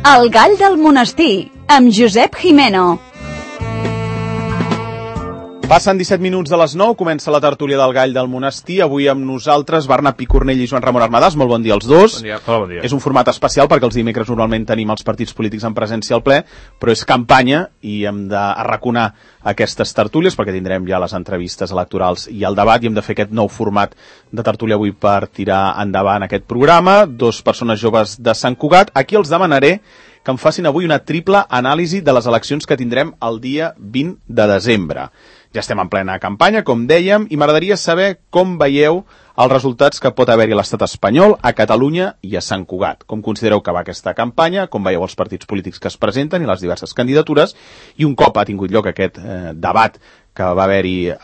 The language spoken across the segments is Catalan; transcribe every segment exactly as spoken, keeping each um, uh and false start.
El gall del monestir, amb Josep Jimeno. Passen disset minuts de les nou, comença la tertúlia del gall del monestir. Avui amb nosaltres, Barna Picornell i Joan Ramon Armadàs. Molt bon dia als dos. Bon dia. Hola, bon dia. És un format especial perquè els dimecres normalment tenim els partits polítics en presència al ple, però és campanya i hem d'arraconar aquestes tertúlies perquè tindrem ja les entrevistes electorals i el debat i hem de fer aquest nou format de tertúlia avui per tirar endavant aquest programa. Dos persones joves de Sant Cugat. Aquí els demanaré que em facin avui una triple anàlisi de les eleccions que tindrem el dia vint de desembre. Ja estem en plena campanya, com dèiem, i m'agradaria saber com veieu els resultats que pot haver-hi a l'estat espanyol, a Catalunya i a Sant Cugat. Com considereu que va aquesta campanya, com veieu els partits polítics que es presenten i les diverses candidatures, i un cop ha tingut lloc aquest eh, debat que va haver-hi eh,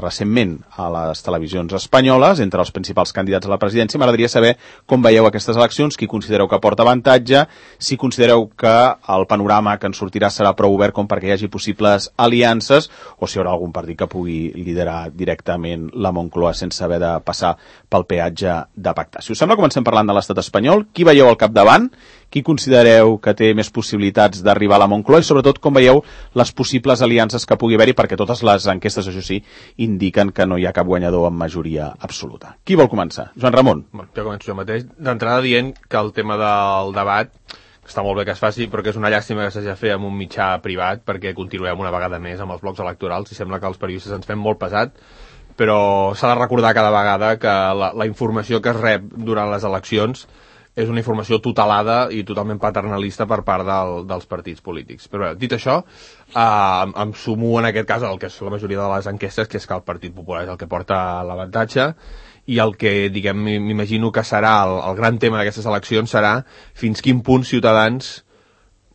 recentment a les televisions espanyoles entre els principals candidats a la presidència, m'agradaria saber com veieu aquestes eleccions, qui considereu que porta avantatge, si considereu que el panorama que en sortirà serà prou obert com perquè hi hagi possibles aliances, o si hi haurà algun partit que pugui liderar directament la Moncloa sense haver de passar pel peatge de pactar. Si us sembla, comencem parlant de l'estat espanyol. Qui veieu al capdavant? Qui considereu que té més possibilitats d'arribar a la Moncloa? I sobretot, com veieu les possibles aliances que pugui haver-hi? Perquè totes les enquestes, això sí, indiquen que no hi ha cap guanyador amb majoria absoluta. Qui vol començar? Joan Ramon. Bueno, jo començo jo mateix. D'entrada dient que el tema del debat està molt bé que es faci, però que és una llàstima que s'hagi de fer amb un mitjà privat perquè continuem una vegada més amb els blocs electorals i sembla que els periodistes ens fem molt pesat, però s'ha de recordar cada vegada que la, la informació que es rep durant les eleccions és una informació tutelada i totalment paternalista per part del, dels partits polítics. Però bé, dit això, eh, em sumo en aquest cas al que és la majoria de les enquestes, que és que el Partit Popular és el que porta l'avantatge, i el que, diguem, m'imagino que serà el, el gran tema d'aquestes eleccions serà fins quin punt Ciutadans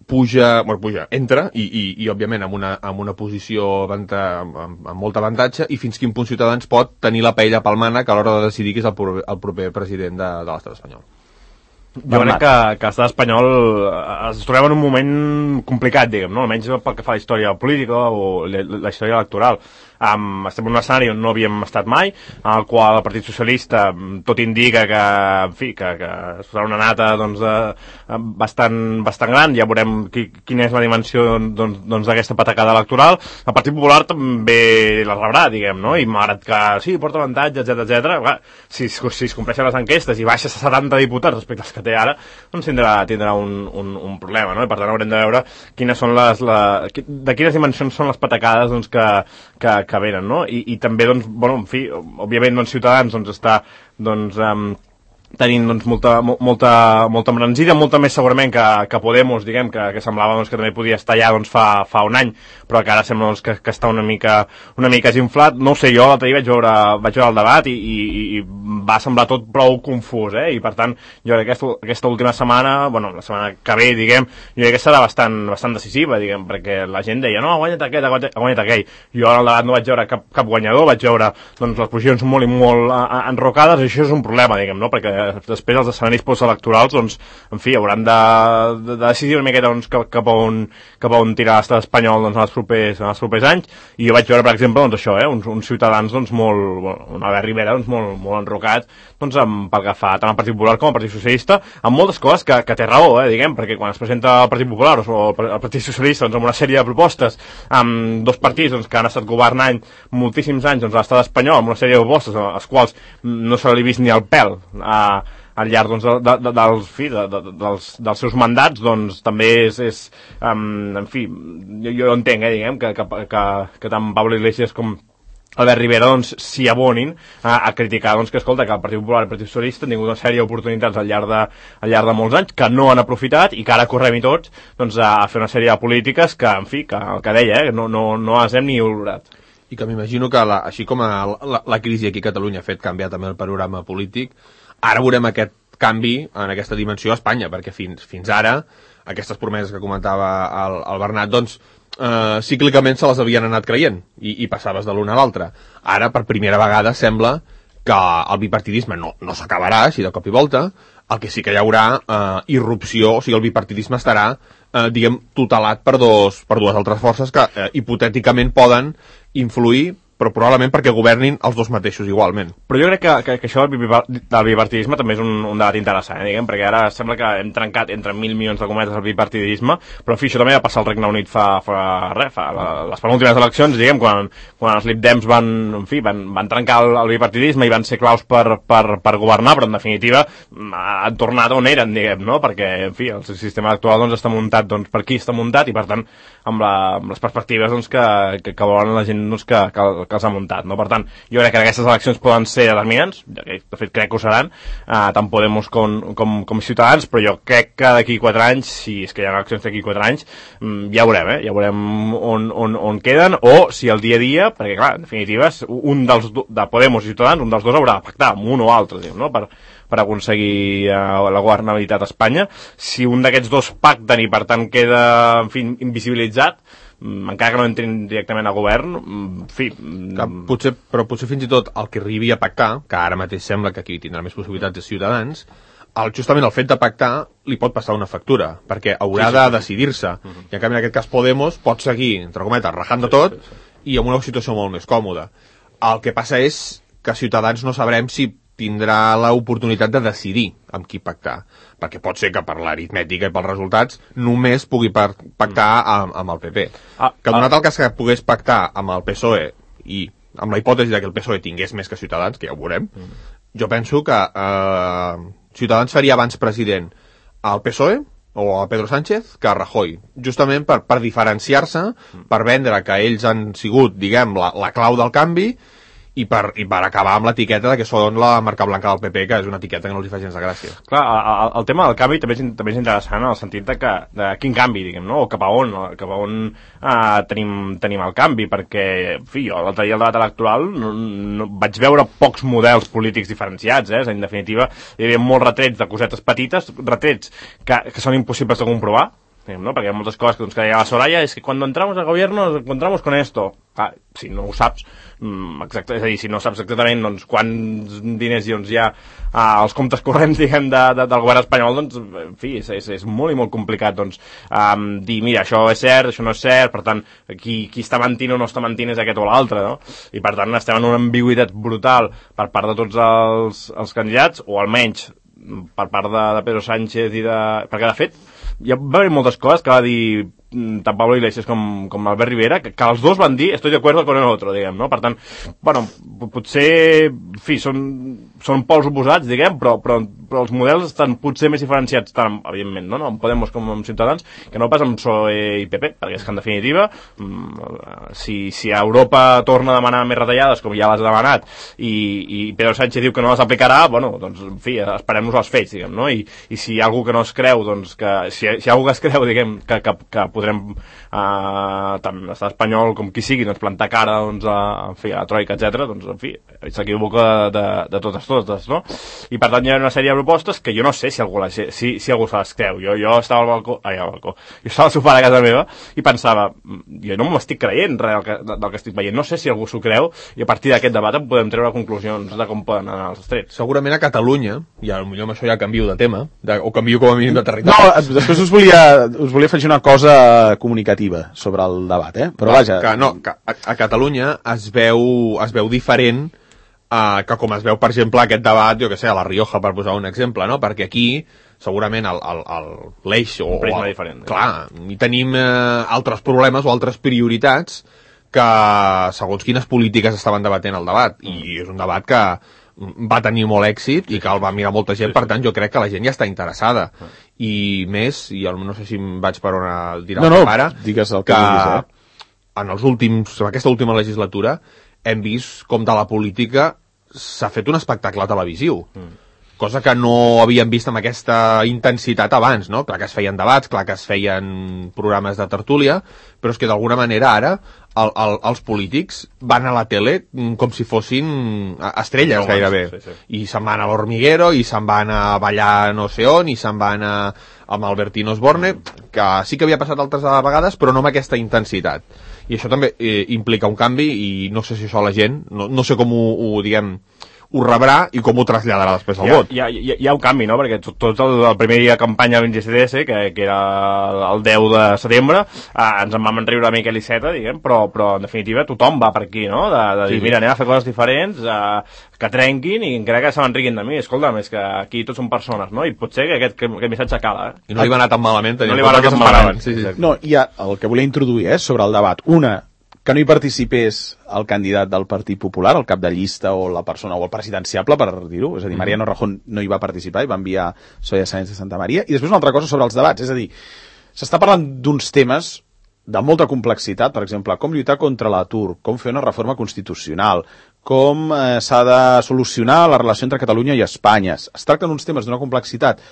puja, bueno, puja, entra, i, i, i òbviament amb una, amb una posició amb, amb, amb molt avantatge, i fins quin punt Ciutadans pot tenir la paella pel mànec a l'hora de decidir qui és el, proper, el proper president de, de l'estat espanyol. Jo crec que, que l'estat espanyol es trobem en un moment complicat, diguem, no? Almenys pel que fa a la història política o la, la història electoral. Um, estem en un escenari on no havíem estat mai, en el qual el Partit Socialista tot indica que, en fi, que, que serà una nata doncs, de, bastant, bastant gran. Ja veurem qui, quina és la dimensió doncs, doncs, d'aquesta patacada electoral. El Partit Popular també la rebrà, diguem, no? I malgrat que sí, porta avantatge, etcètera, etcètera, si, si es compleixen les enquestes i baixa a setanta diputats respecte als que té ara, doncs tindrà, tindrà un, un, un problema, no? I per tant haurem de veure quines són les, la, de quines dimensions són les patacades doncs, que, que, que venen, no? I, i també, doncs, bueno, en fi, òbviament, doncs, Ciutadans, doncs, està, doncs, um, tenint, doncs, molta, molta, molta embranzida, molta més segurament que, que Podemos, diguem, que, que semblava, doncs, que també podia estar allà, doncs, fa, fa un any, però que ara sembla, doncs, que, que està una mica, una mica desinflat. No ho sé, jo l'altre dia vaig veure, vaig veure el debat i, i, i va semblar tot prou confús, eh? I per tant, jo crec que aquesta, aquesta última setmana, bueno, la setmana que ve, diguem, jo crec que serà bastant, bastant decisiva, diguem, perquè la gent deia, no, ha guanyat aquest, ha guanyat, ha guanyat aquell. Jo en el debat no vaig veure cap, cap guanyador, vaig veure, doncs, les posicions molt i molt enrocades, i això és un problema, diguem, no? Perquè després els escenaris postelectorals, doncs, en fi, hauran de, de, de decidir una miqueta doncs, cap, cap, a on, cap a on tirar l'estat espanyol doncs, en, els propers, en els propers anys, i jo vaig veure, per exemple, doncs, això, eh, uns, uns ciutadans doncs, molt, bueno, un Albert Rivera doncs, molt, molt enrocat doncs, amb, pel que fa tant al Partit Popular com al Partit Socialista, amb moltes coses que, que té raó, eh, diguem, perquè quan es presenta el Partit Popular o el Partit Socialista doncs, amb una sèrie de propostes, amb dos partits doncs, que han estat governant moltíssims anys doncs, a l'estat espanyol, amb una sèrie de propostes als quals no se li ha vist ni el pèl a al llarg doncs, de, de, de, dels, fi, de, de, dels, dels seus mandats, doncs també és, és um, en fi, jo, jo entenc, eh, diguem, que, que, que, que tant Pablo Iglesias com Albert Rivera doncs, s'hi abonin a, a criticar doncs, que, escolta, que el Partit Popular i el Partit Socialista han tingut una sèrie d'oportunitats al llarg de, al llarg de molts anys que no han aprofitat i que ara correm-hi tots doncs, a, a fer una sèrie de polítiques que, en fi, que el que deia, eh, no, no, no les hem ni olorat. I que m'imagino que, la, així com a la, la crisi aquí a Catalunya ha fet canviar també el panorama polític, ara veurem aquest canvi en aquesta dimensió a Espanya, perquè fins, fins ara aquestes promeses que comentava el, el Bernat, doncs, eh, cíclicament se les havien anat creient i, i passaves de l'una a l'altra. Ara, per primera vegada, sembla que el bipartidisme no, no s'acabarà així de cop i volta, el que sí que hi haurà eh, irrupció, o sigui, el bipartidisme estarà, eh, diguem, tutelat per, dos, per dues altres forces que eh, hipotèticament poden influir però probablement perquè governin els dos mateixos igualment. Però jo crec que, que, que això del bipartidisme també és un, un debat interessant, eh, diguem, perquè ara sembla que hem trencat entre mil milions de cometes el bipartidisme, però en fi, això també va passar al Regne Unit fa, fa res, fa la, les penúltimes eleccions, diguem, quan, quan els Lib Dems van, en fi, van, van trencar el, el bipartidisme i van ser claus per, per, per governar, però en definitiva han tornat on eren, diguem, no? Perquè, en fi, el sistema actual doncs, està muntat doncs, per qui està muntat i, per tant, amb, la, amb les perspectives doncs, que, que, que volen la gent doncs, que, que, que els ha muntat, no? Per tant, jo crec que aquestes eleccions poden ser determinants, de fet crec que ho seran, eh, tant Podemos com, com, com Ciutadans, però jo crec que d'aquí quatre anys, si és que hi ha eleccions d'aquí quatre anys, ja veurem, eh? Ja veurem on, on, on queden, o si el dia a dia, perquè clar, en definitiva, un dels de Podemos i Ciutadans, un dels dos haurà de pactar amb un o altre, diguem, no? Per, per aconseguir uh, la governabilitat a Espanya. Si un d'aquests dos pacten i per tant queda, en fi, invisibilitzat, encara que no entrin directament a govern, en fi... Que potser, però potser fins i tot el que arribi a pactar, que ara mateix sembla que aquí tindrà més possibilitats de Ciutadans, el, justament el fet de pactar li pot passar una factura, perquè haurà sí, sí, de sí. decidir-se. Uh -huh. I en canvi en aquest cas Podemos pot seguir, entre cometes, rajant de tot, sí, sí, sí. i amb una situació molt més còmoda. El que passa és que Ciutadans no sabrem si tindrà l'oportunitat de decidir amb qui pactar, perquè pot ser que per l'aritmètica i pels resultats només pugui pactar amb, amb el P P. Ah, que donat ah. el cas que pogués pactar amb el P S O E i amb la hipòtesi de que el P S O E tingués més que Ciutadans, que ja ho veurem, mm. jo penso que eh, Ciutadans faria abans president al P S O E o a Pedro Sánchez que a Rajoy, justament per, per diferenciar-se, mm. per vendre que ells han sigut, diguem, la, la clau del canvi, i per, i per acabar amb l'etiqueta de que són la marca blanca del P P, que és una etiqueta que no els hi fa gens de gràcia. Clar, el, el tema del canvi també és, també és interessant en el sentit de, que, de quin canvi, diguem, no? O cap a on, o cap a on uh, tenim, tenim el canvi, perquè, en fi, jo l'altre dia al debat electoral no, no, vaig veure pocs models polítics diferenciats, eh? En definitiva, hi havia molts retrets de cosetes petites, retrets que, que són impossibles de comprovar, ¿no? Perquè hi ha moltes coses que, doncs, que deia la Soraya, és que quan entramos al gobierno nos encontramos con esto. Ah, si no ho saps, exacte, és a dir, si no saps exactament doncs, quants diners doncs, hi ha ah, als comptes corrents, diguem, de, de, del govern espanyol, doncs, en fi, és, és, és molt i molt complicat, doncs, um, dir, mira, això és cert, això no és cert, per tant, qui, qui està mentint o no està mentint és aquest o l'altre, no? I, per tant, estem en una ambigüitat brutal per part de tots els, els candidats, o almenys per part de, de Pedro Sánchez i de... perquè, de fet, hi va haver moltes coses que va dir tant Pablo Iglesias com, com Albert Rivera, que, que els dos van dir estoy de acuerdo con el otro, diguem, no? Per tant, bueno, potser, en fi, són, són pols oposats, diguem, però, però, però els models estan potser més diferenciats, tant, evidentment, no? No? En Podemos com en Ciutadans, que no pas amb P S O E i P P, perquè és que, en definitiva, si, si Europa torna a demanar més retallades, com ja les ha demanat, i, i Pedro Sánchez diu que no les aplicarà, bueno, doncs, en fi, esperem-nos els fets, diguem, no? I, i si hi ha algú que no es creu, doncs, que, si, si hi ha algú que es creu, diguem, que, que, que podrem uh, tant l'estat espanyol com qui sigui doncs plantar cara doncs, a, en fi, a la troika, etcètera, doncs en fi, s'equivoca de, de, de totes totes, no? I per tant hi ha una sèrie de propostes que jo no sé si algú, la, si, si algú se les creu. Jo, jo estava al balcó, ai, al balcó, jo estava al sofà de casa meva i pensava, jo no m'estic creient res del que, del que estic veient, no sé si algú s'ho creu i a partir d'aquest debat en podem treure conclusions de com poden anar els trets. Segurament a Catalunya, i potser amb això ja canvio de tema, de, o canvio com a mínim de territori. No, després us volia, us volia afegir una cosa comunicativa sobre el debat, eh? Però vaja... Que, no, que a, a Catalunya es veu, es veu diferent uh, que com es veu, per exemple, aquest debat, jo que sé, a La Rioja, per posar un exemple, no? Perquè aquí, segurament, l'eix o... Un prisma diferent. Clar, i tenim uh, altres problemes o altres prioritats que, segons quines polítiques estaven debatent el debat, i és un debat que va tenir molt èxit i que el va mirar molta gent, per tant jo crec que la gent ja està interessada i més, i no sé si em vaig per on dirà no, el pare, no, digues el que, que diguis, eh? en els últims, en aquesta última legislatura hem vist com de la política s'ha fet un espectacle televisiu, mm. cosa que no havíem vist amb aquesta intensitat abans, no? Clar que es feien debats, clar que es feien programes de tertúlia, però és que d'alguna manera ara el, el, els polítics van a la tele com si fossin estrelles no, gairebé, sí, sí. I se'n van a l'Hormiguero, i se'n van a ballar no sé on, i se'n van a, amb Albertino Osborne, que sí que havia passat altres vegades, però no amb aquesta intensitat. I això també eh, implica un canvi, i no sé si això la gent, no, no sé com ho, ho diguem, ho rebrà i com ho traslladarà després al hi ha, vot. Hi ha, hi, ha, hi ha un canvi, no? Perquè tot, tot el, el primer dia de campanya del G C D S, que, que era el deu de setembre, eh, ens en vam enriure a Miquel Iceta, diguem, però, però en definitiva tothom va per aquí, no? De, de dir, sí, mira, anem a fer coses diferents, eh, que trenquin i encara que se m'enriquin de mi. Escolta'm, és que aquí tots són persones, no? I potser que aquest, que aquest missatge cala, eh? I no li va anar tan malament, no li va anar tan malament. Sí, sí. No, hi ha el que volia introduir, eh, sobre el debat. Una, que no hi participés el candidat del Partit Popular, el cap de llista o la persona, o el presidenciable, per dir-ho, és a dir, Mariano Rajoy no hi va participar i va enviar Soraya Sáenz de Santa Maria. I després una altra cosa sobre els debats, és a dir, s'està parlant d'uns temes de molta complexitat, per exemple, com lluitar contra l'atur, com fer una reforma constitucional, com eh, s'ha de solucionar la relació entre Catalunya i Espanya. Es tracten uns temes d'una complexitat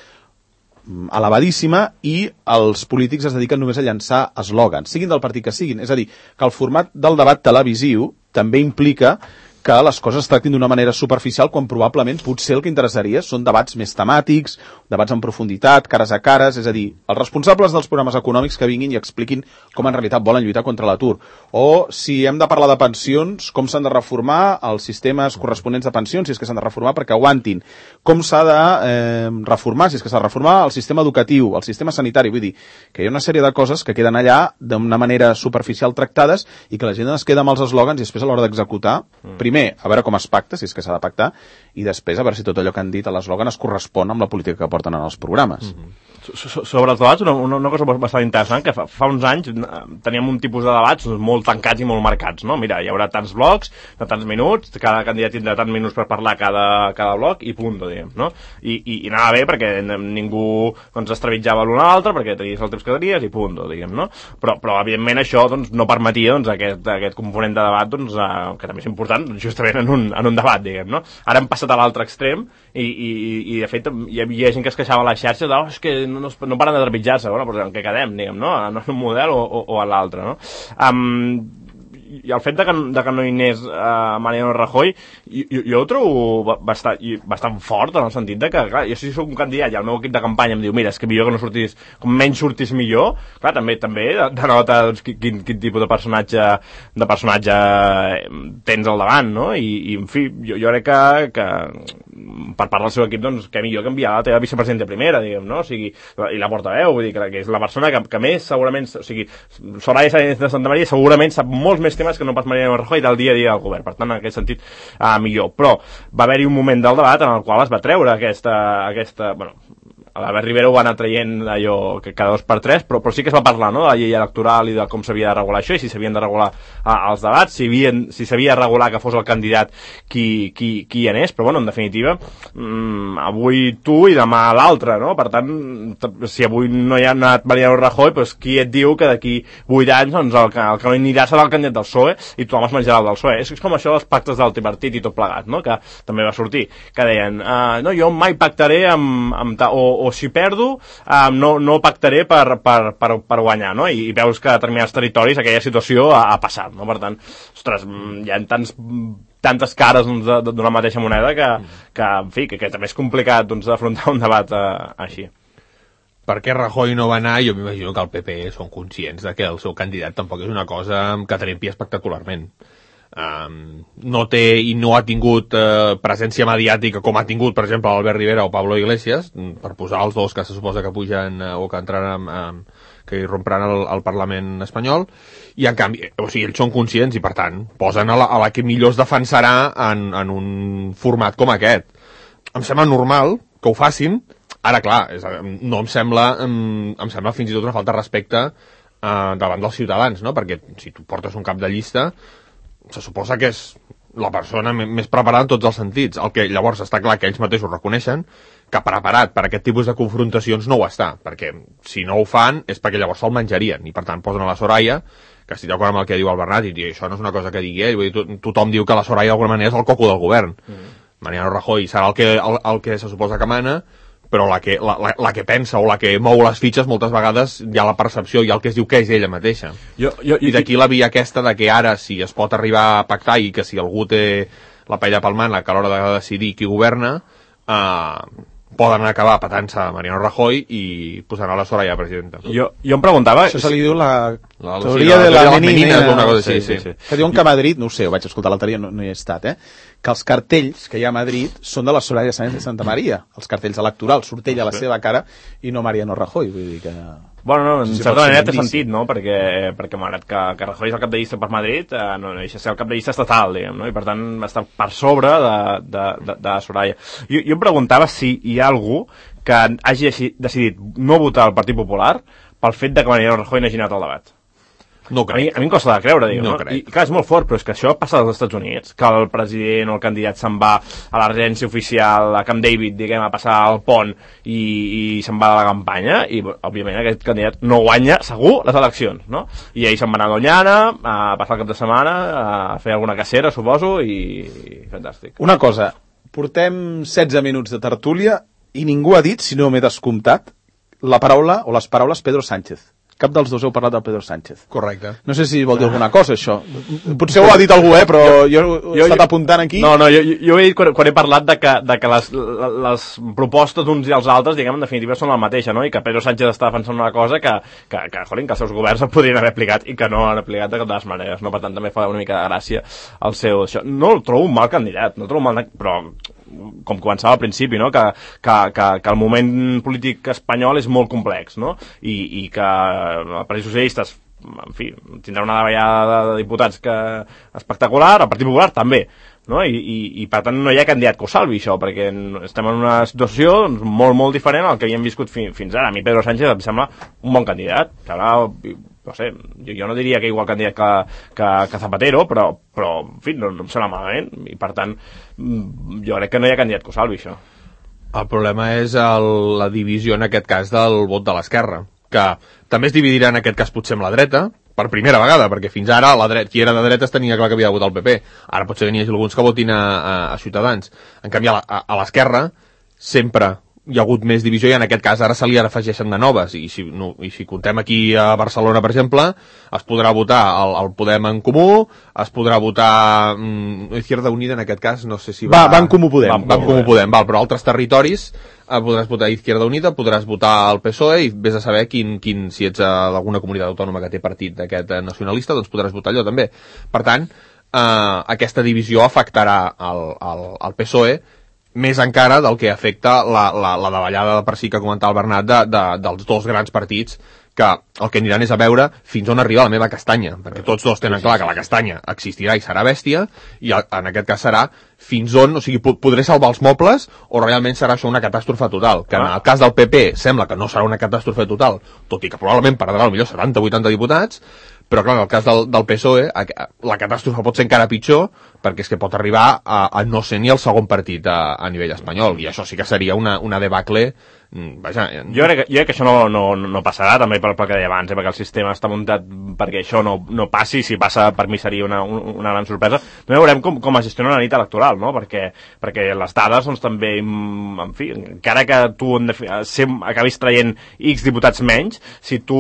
elevadíssima i els polítics es dediquen només a llançar eslògans, siguin del partit que siguin. És a dir, que el format del debat televisiu també implica que les coses es tractin d'una manera superficial quan probablement potser el que interessaria són debats més temàtics, debats en profunditat, cares a cares, és a dir, els responsables dels programes econòmics que vinguin i expliquin com en realitat volen lluitar contra l'atur. O si hem de parlar de pensions, com s'han de reformar els sistemes corresponents de pensions, si és que s'han de reformar perquè aguantin. Com s'ha de eh, reformar, si és que s'ha de reformar el sistema educatiu, el sistema sanitari. Vull dir, que hi ha una sèrie de coses que queden allà d'una manera superficial tractades i que la gent es queda amb els eslògans i després a l'hora d'executar, mm. primer, a veure com es pacta, si és que s'ha de pactar, i després a veure si tot allò que han dit a l'eslògan es correspon amb la política que porten en els programes. Mm-hmm. So, sobre els debats, una, una cosa bastant interessant, que fa, fa uns anys teníem un tipus de debats molt tancats i molt marcats, no? Mira, hi haurà tants blocs, de tants minuts, cada candidat tindrà tants minuts per parlar cada, cada bloc, i punt, diguem, no? I, i, i anava bé perquè ningú doncs, es trepitjava l'un a l'altre, perquè tenies el temps que tenies, i punt, diguem, no? Però, però evidentment, això doncs, no permetia doncs, aquest, aquest component de debat, doncs, eh, que també és important, justament en un, en un debat, diguem, no? Ara hem passat a l'altre extrem, i, i, i de fet hi havia gent que es queixava a la xarxa de, oh, és que no, no, no paren de trepitjar-se, bueno, però en què quedem, diguem, no? En un model o, o, o a l'altre, no? Um, i el fet de que, de que no hi anés uh, Mariano Rajoy, jo, jo ho trobo bastant, bastant fort, en el sentit de que, clar, jo si soc un candidat i el meu equip de campanya em diu, mira, és que millor que no sortis, com menys sortis millor, clar, també també denota doncs, quin, quin tipus de personatge de personatge tens al davant, no? I, i en fi, jo, jo crec que, que per part del seu equip, doncs, que millor que enviar la teva vicepresidenta primera, diguem, no? O sigui, i la portaveu, vull dir, que, que és la persona que, que més, segurament, o sigui, Soraya Sáenz de Santa Maria segurament sap molts més temes que no pas Mariano Rajoy del dia a dia del govern, per tant en aquest sentit uh, millor, però va haver-hi un moment del debat en el qual es va treure aquesta, aquesta bueno, l'Albert Rivera ho va anar traient allò que cada dos per tres, però, però sí que es va parlar, no?, de la llei electoral i de com s'havia de regular això i si s'havien de regular uh, els debats, si havien, si s'havia de regular que fos el candidat qui, qui, qui hi anés, però bueno, en definitiva um, avui tu i demà l'altre, no? Per tant, si avui no hi ha anat Mariano Rajoy, doncs qui et diu que d'aquí vuit anys doncs, el, que, el que no hi anirà serà el candidat del P S O E i tothom es menjarà el del P S O E. És com això dels pactes del tripartit i tot plegat, no?, que també va sortir, que deien uh, no, jo mai pactaré amb, amb ta, o, o si perdo, um, no, no pactaré per, per, per, per guanyar, no? I, i veus que a determinats territoris aquella situació ha, ha passat, no? Per tant, ostres, hi ha tants, tantes cares doncs, d'una mateixa moneda que, que en fi, que, que també és complicat doncs, d'afrontar un debat uh, així. Per què Rajoy no va anar? Jo m'imagino que el P P són conscients de que el seu candidat tampoc és una cosa que trempi espectacularment. Um, no té i no ha tingut uh, presència mediàtica com ha tingut, per exemple, Albert Rivera o Pablo Iglesias, per posar els dos que se suposa que pugen uh, o que entraran um, que irrompran al, al Parlament espanyol, i en canvi, o sigui, ells són conscients i per tant posen a la, a la que millor es defensarà en, en un format com aquest. Em sembla normal que ho facin. Ara, clar, és, no em sembla em, em sembla fins i tot una falta de respecte uh, davant dels ciutadans, no? Perquè si tu portes un cap de llista se suposa que és la persona més preparada en tots els sentits. El que llavors està clar que ells mateixos reconeixen que preparat per aquest tipus de confrontacions no ho està, perquè si no ho fan és perquè llavors se'l menjarien, i per tant posen a la Soraya, que estic d'acord amb el que diu el Bernat, i això no és una cosa que digui ell, vull dir, tothom diu que la Soraya d'alguna manera és el coco del govern. Mm. Mariano Rajoy serà el que, el, el que se suposa que mana, però la que, la, la, la que pensa o la que mou les fitxes moltes vegades hi ha la percepció, hi ha el que es diu que és ella mateixa. Jo, jo, I d'aquí la via aquesta de que ara si es pot arribar a pactar i que si algú té la paella pel mànec a l'hora de decidir qui governa, eh, poden acabar patant-se a Mariano Rajoy i posant a la Soraya presidenta. Jo, jo em preguntava... Això se li diu la La, la, teoria la, de la, la menina, menina o una cosa així, sí, sí. sí. Que diuen que a Madrid, no ho sé, ho vaig escoltar l'altre dia, no, no hi he estat, eh? Que els cartells que hi ha a Madrid són de la Soraya Sáenz de Santa Maria, els cartells electorals, surt ella a la seva cara i no Mariano Rajoy, vull dir que... Bueno, no, en sí, sí, certa manera té indici. sentit, no? Perquè, perquè malgrat que, que Rajoy és el cap de llista per Madrid, eh, no deixa de ser el cap de llista estatal, diguem, no? I per tant està per sobre de, de, de, de Soraya. Jo, jo em preguntava si hi ha algú que hagi decidit no votar el Partit Popular pel fet de que Mariano Rajoy n'hagi anat al debat. No A mi, crec. a mi em costa de creure, diguem, No no? crec. I clar, és molt fort, però és que això passa als Estats Units, que el president o el candidat se'n va a la residència oficial a Camp David, diguem, a passar el pont i, i se'n va a la campanya, i òbviament aquest candidat no guanya segur les eleccions, no? I ell se'n va anar a Doñana a passar el cap de setmana, a fer alguna cacera, suposo, i, i fantàstic. Una cosa, portem setze minuts de tertúlia i ningú ha dit, si no m'he descomptat, la paraula o les paraules Pedro Sánchez. Cap dels dos heu parlat del Pedro Sánchez. Correcte. No sé si vol dir alguna cosa, això. Potser ho ha dit algú, eh, però jo, jo he estat apuntant aquí. No, no, jo, jo he dit quan, quan he parlat de que, de que les, les propostes d'uns i els altres, diguem, en definitiva són la mateixa, no? I que Pedro Sánchez està defensant una cosa que, que, que, jolín, que els seus governs es podrien haver aplicat i que no han aplicat de cap de les maneres, no? Per tant, també fa una mica de gràcia el seu... Això. No el trobo un mal candidat, no el trobo un mal... Però com començava al principi, no? que, que, que, que el moment polític espanyol és molt complex, no? I, i que el Partit Socialista, en fi, tindrà una davallada de diputats que espectacular, el Partit Popular també, no? I, i, i per tant no hi ha candidat que ho salvi això, perquè estem en una situació molt, molt diferent al que havíem viscut fi, fins ara. A mi Pedro Sánchez em sembla un bon candidat, que ara, no sé, jo, jo no diria que igual candidat que, que, que Zapatero, però, però en fi, no, no em sembla malament, i per tant jo crec que no hi ha candidat que ho salvi això. El problema és el, la divisió en aquest cas del vot de l'esquerra, que també es dividirà en aquest cas potser amb la dreta, per primera vegada, perquè fins ara la dreta, qui era de dretes tenia clar que havia de votar el P P, ara potser n'hi hagi alguns que votin a, a, a Ciutadans. En canvi, a, a, a l'esquerra sempre hi ha hagut més divisió i en aquest cas ara se li afegeixen de noves i si, no, i si contem aquí a Barcelona, per exemple, es podrà votar el, el Podem en Comú, es podrà votar mm, Izquierda Unida en aquest cas, no sé si va... Va, va en Comú Podem. Va, va en Comú Podem, val, però altres territoris eh, podràs votar Izquierda Unida, podràs votar el P S O E i vés a saber quin, quin si ets d'alguna comunitat autònoma que té partit d'aquest eh, nacionalista, doncs podràs votar allò també. Per tant, eh, aquesta divisió afectarà el, el, el P S O E més encara del que afecta la, la, la davallada per si que comentava el Bernat de, de, dels dos grans partits que el que aniran és a veure fins on arriba la meva castanya, perquè tots dos tenen clar que la castanya existirà i serà bèstia i en aquest cas serà fins on, o sigui, podré salvar els mobles o realment serà això una catàstrofe total, que en el cas del P P sembla que no serà una catàstrofe total, tot i que probablement perdrà potser setanta o vuitanta diputats, però clar, en el cas del, del P S O E la catàstrofe pot ser encara pitjor perquè és que pot arribar a, a no ser ni el segon partit a, a nivell espanyol i això sí que seria una, una debacle. Vaja, jo, crec que, jo crec que això no, no, no passarà també pel, pel que deia abans, eh, perquè el sistema està muntat perquè això no, no passi, si passa per mi seria una, una gran sorpresa. També veurem com, com es gestiona la nit electoral, no? perquè, perquè les dades doncs, també, en fi, encara que tu en sem, acabis traient X diputats menys, si tu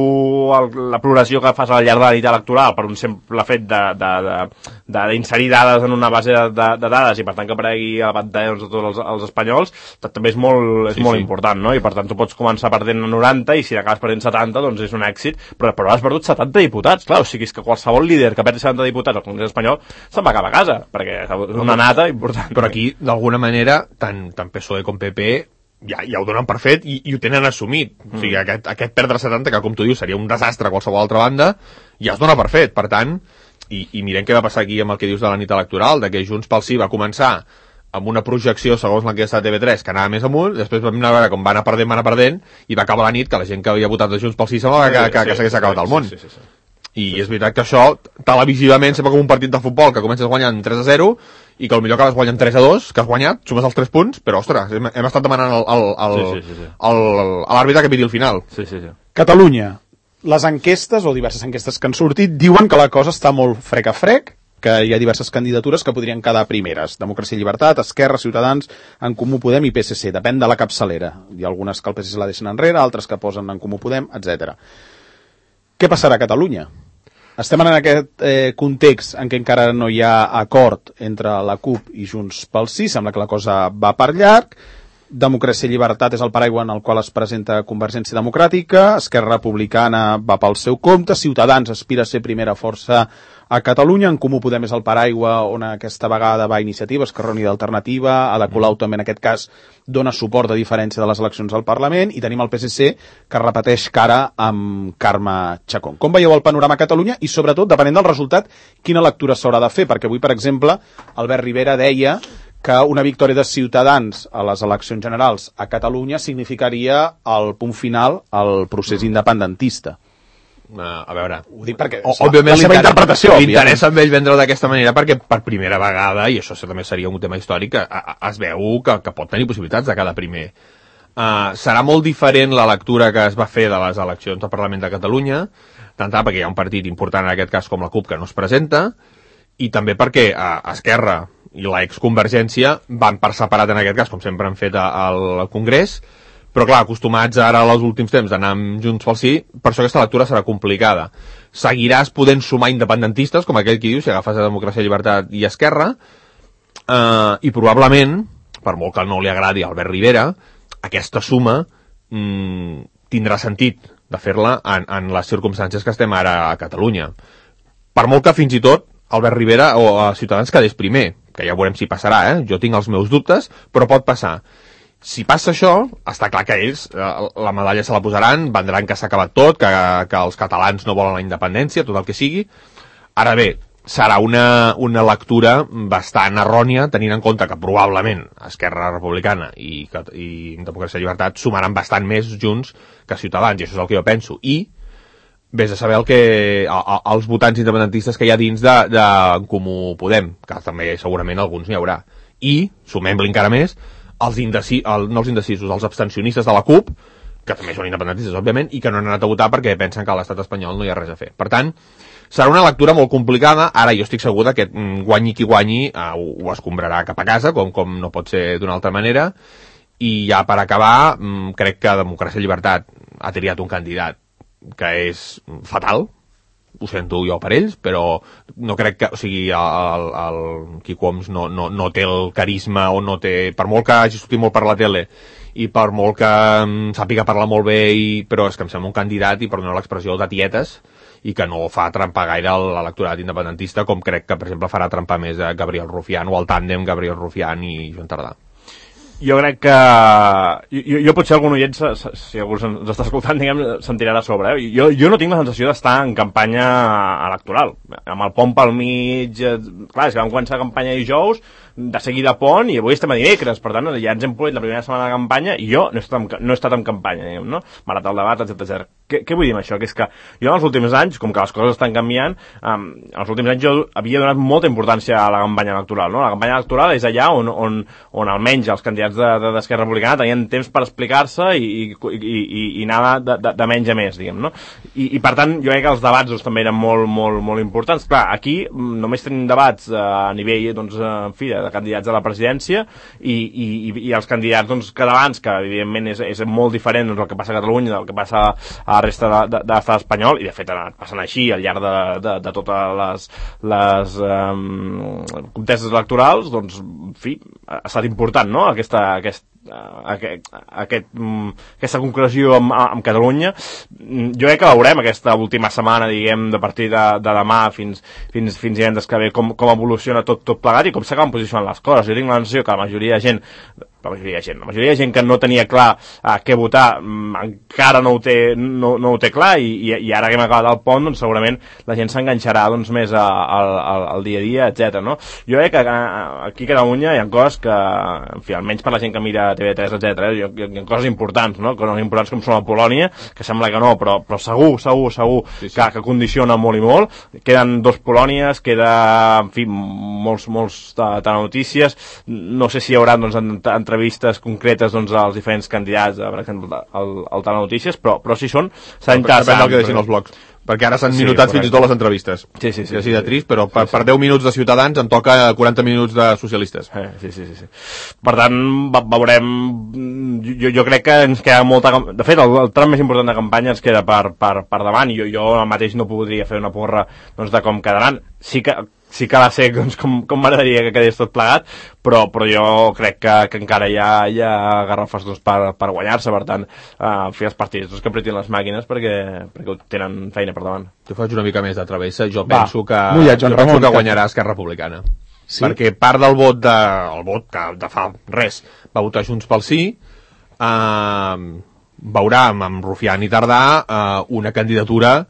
el, la progressió que fas al llarg de la nit electoral per un simple fet d'inserir dades en una base de, de, de dades i per tant que aparegui a la pantalla doncs, de tots els, els espanyols, també és molt, és sí, molt sí. important, no? I per tant tu pots començar perdent noranta i si acabes perdent setanta doncs és un èxit, però, però has perdut setanta diputats, clar, o sigui és que qualsevol líder que perdi setanta diputats al Congrés espanyol se'n va cap a casa, perquè és una nata important. Però aquí, d'alguna manera, tant, tant P S O E com P P ja, ja ho donen per fet i, i ho tenen assumit. Mm. O sigui, aquest, aquest perdre setanta, que com tu dius seria un desastre a qualsevol altra banda, ja es dona per fet. Per tant, i, i mirem què va passar aquí amb el que dius de la nit electoral, de que Junts pel Sí va començar amb una projecció segons l'enquesta de T V tres que anava més amunt, després vam anar a veure com va anar perdent, va anar perdent, i va acabar la nit que la gent que havia votat de Junts pel Sí semblava que, que, que s'hagués acabat el món. Sí, sí, sí, sí. I és veritat que això, televisivament, sembla com un partit de futbol que comences guanyant tres a zero i que potser acabes guanyant tres a dos, que has guanyat, sumes els tres punts, però, ostres, hem, hem estat demanant al, al, al, sí, sí, sí, sí. al, a l'àrbitre que pidi el final. Sí, sí, sí. Catalunya. Les enquestes, o diverses enquestes que han sortit, diuen que la cosa està molt frec a frec, que hi ha diverses candidatures que podrien quedar primeres. Democràcia i Llibertat, Esquerra, Ciutadans, En Comú Podem i P S C. Depèn de la capçalera. Hi ha algunes que el P S C la deixen enrere, altres que posen En Comú Podem, etcètera. Què passarà a Catalunya? Estem en aquest eh, context en què encara no hi ha acord entre la CUP i Junts pel Sí, sembla que la cosa va per llarg, Democràcia i Llibertat és el paraigua en el qual es presenta Convergència Democràtica, Esquerra Republicana va pel seu compte, Ciutadans aspira a ser primera força a Catalunya, En Comú Podem és el paraigua on aquesta vegada va Iniciativa, Esquerra Unida Alternativa, Ada Colau també en aquest cas dona suport a diferència de les eleccions al Parlament, i tenim el P S C que repeteix cara amb Carme Chacón. Com veieu el panorama a Catalunya i sobretot, depenent del resultat, quina lectura s'haurà de fer? Perquè avui, per exemple, Albert Rivera deia que una victòria de Ciutadans a les eleccions generals a Catalunya significaria el punt final al procés independentista. Uh, a veure, ho dic perquè o, òbviament la seva interpretació l'interessa amb ell vendre-ho d'aquesta manera perquè per primera vegada, i això també seria un tema històric, a, a, es veu que, que pot tenir possibilitats de cada primer. Uh, serà molt diferent la lectura que es va fer de les eleccions al Parlament de Catalunya, tant perquè hi ha un partit important en aquest cas com la CUP que no es presenta, i també perquè uh, Esquerra i la exconvergència van per separat en aquest cas, com sempre han fet al Congrés, però clar, acostumats ara als últims temps d'anar amb Junts pel Sí, per això aquesta lectura serà complicada. Seguiràs podent sumar independentistes, com aquell qui diu, si agafes a Democràcia, Llibertat i Esquerra, eh, i probablement, per molt que no li agradi a Albert Rivera, aquesta suma mm, tindrà sentit de fer-la en, en les circumstàncies que estem ara a Catalunya. Per molt que fins i tot Albert Rivera o a Ciutadans quedés primer, que ja veurem si passarà, eh? Jo tinc els meus dubtes, però pot passar. Si passa això, està clar que ells eh, la medalla se la posaran, vendran que s'ha acabat tot, que, que els catalans no volen la independència, tot el que sigui. Ara bé, serà una, una lectura bastant errònia, tenint en compte que probablement Esquerra Republicana i, i Democràcia i Llibertat sumaran bastant més Junts que Ciutadans, i això és el que jo penso. I vés a saber el que, els votants independentistes que hi ha dins de, de En Comú Podem, que també segurament alguns n'hi haurà. I, sumem-li encara més, els indeci, el, no els indecisos, els abstencionistes de la CUP, que també són independentistes, òbviament, i que no han anat a votar perquè pensen que a l'estat espanyol no hi ha res a fer. Per tant, serà una lectura molt complicada. Ara jo estic segur que guanyi qui guanyi eh, ho, ho escombrarà cap a casa, com, com no pot ser d'una altra manera, i ja per acabar, crec que Democràcia i Llibertat ha triat un candidat que és fatal, ho sento jo per ells, però no crec que, o sigui, el, el Quico Homs no, no, no té el carisma o no té, per molt que hagi sortit molt per la tele i per molt que um, sàpiga parlar molt bé, i, però és que em sembla un candidat, i per donar l'expressió, de tietes, i que no fa trempar gaire l'electorat independentista, com crec que, per exemple, farà trempar més a Gabriel Rufián o el tàndem Gabriel Rufián i Joan Tardà. Jo crec que... Jo, jo potser algun oient, si algú ens està escoltant, diguem, se'n tirarà a sobre. Eh? Jo, jo no tinc la sensació d'estar en campanya electoral. Amb el pont pel mig... Clar, és que vam començar la campanya dijous, de seguida pont, i avui estem a dimecres. Per tant, ja ens hem polit la primera setmana de campanya i jo no he estat en, no he estat en campanya, diguem, no? M'ha anat el debat, etcètera. Què, què vull dir amb això? Que és que jo en els últims anys, com que les coses estan canviant, um, en els últims anys jo havia donat molta importància a la campanya electoral, no? La campanya electoral és allà on, on, on almenys els candidats d'Esquerra Republicana tenien temps per explicar-se i, i, i, i anar de, de, de menys a més, diguem, no? I, i per tant, jo crec que els debats doncs, també eren molt, molt, molt importants. Clar, aquí només tenim debats uh, a nivell, doncs, en fi, de candidats a la presidència i, i, i els candidats doncs, catalans, que evidentment és, és molt diferent doncs, el que passa a Catalunya del que passa a la resta de, de, de l'estat espanyol, i de fet ha anat passant així al llarg de, de, de totes les, les um, contestes electorals, doncs, en fi, ha estat important, no?, aquesta, aquest, aquest, aquest, aquesta concreció amb, amb Catalunya. Jo crec que veurem aquesta última setmana, diguem, de partir de, de demà fins, fins, fins divendres que ve, com, com evoluciona tot, tot plegat i com s'acaben posicionant les coses. Jo tinc la sensació que la majoria de gent la majoria de gent, la majoria de gent que no tenia clar uh, què votar, um, encara no ho té, no, no ho té clar, i, i, i ara que hem acabat el pont, doncs segurament la gent s'enganxarà doncs, més a, a, a, al dia a dia, etcètera. No? Jo crec que uh, aquí a Catalunya hi ha coses que, en fi, almenys per la gent que mira T V tres, etcètera, hi, hi ha coses importants, no? Coses importants com són la Polònia, que sembla que no, però, però segur, segur, segur sí, sí. Que, que condiciona molt i molt. Queden dos Polònies, queda, en fi, molts, molts telenotícies. No sé si hi haurà, doncs, en, en entrevistes concretes doncs, als diferents candidats, per exemple, al, al Telenotícies, però, però si són, s'ha interessant. Depèn del que deixin els blogs, perquè ara s'han sí, minutat fins i tot les entrevistes. Sí, sí, sí. I així de trist, però per, sí, sí. per deu minuts de Ciutadans em toca quaranta minuts de socialistes. Eh, sí, sí, sí, sí. Per tant, veurem... Jo, jo crec que ens queda molta... De fet, el, el tram més important de campanya ens queda per, per, per davant, i jo, jo mateix no podria fer una porra doncs, de com quedaran. Sí que sí que ha de ser doncs, com, com m'agradaria que quedés tot plegat, però, però jo crec que, que encara hi ha, hi ha garrafes doncs, per, per guanyar-se, per tant, uh, fer els partits doncs, que apretin les màquines perquè, perquè tenen feina per davant. Tu faig una mica més de travessa, jo Va, penso que, mullat, jo penso que guanyarà Esquerra Republicana. Sí? Perquè part del vot, de, el vot que de fa res va votar Junts pel Sí, eh, veurà amb Rufián i Tardà eh, una candidatura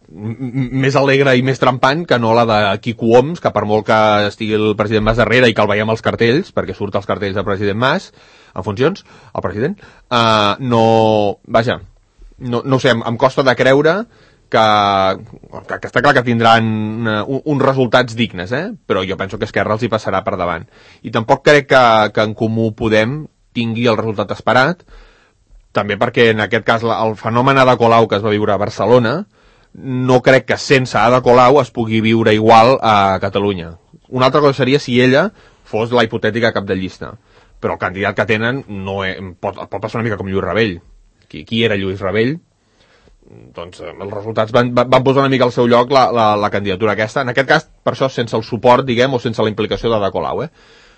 més alegre i més trampant que no la de Quico Homs, que per molt que estigui el president Mas darrere i que el veiem als cartells, perquè surt als cartells del president Mas, en funcions, el president, uh, no... Vaja, no, no ho sé, em, em costa de creure que, que, que està clar que tindran uh, uns resultats dignes, eh? Però jo penso que Esquerra els hi passarà per davant. I tampoc crec que, que en Comú Podem tingui el resultat esperat, també perquè en aquest cas el fenomen Ada Colau que es va viure a Barcelona no crec que sense Ada Colau es pugui viure igual a Catalunya. Una altra cosa seria si ella fos la hipotètica cap de llista. Però el candidat que tenen no és, pot, pot passar una mica com Lluís Rabell. Qui, qui era Lluís Rabell? Doncs els resultats van, van posar una mica al seu lloc la, la, la candidatura aquesta. En aquest cas, per això, sense el suport, diguem, o sense la implicació d'Ada Colau, eh?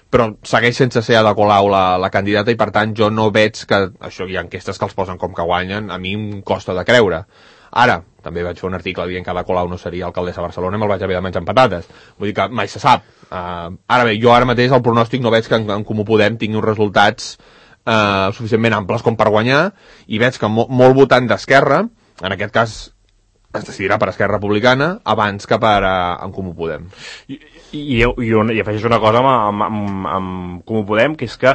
Però segueix sense ser Ada Colau la, la candidata i, per tant, jo no veig que... Això hi ha enquestes que els posen com que guanyen, a mi em costa de creure. Ara, també vaig fer un article dient que Ada Colau no seria alcaldessa de Barcelona i me'l vaig haver de menjar amb patates. Vull dir que mai se sap. Uh, ara bé, jo ara mateix el pronòstic no veig que en, en Comú Podem tingui uns resultats uh, suficientment amples com per guanyar i veig que mo molt votant d'Esquerra, en aquest cas es decidirà per Esquerra Republicana abans que per uh, en Comú Podem. I, i, i, i, i afegeix una cosa amb, amb, amb Comú Podem, que és que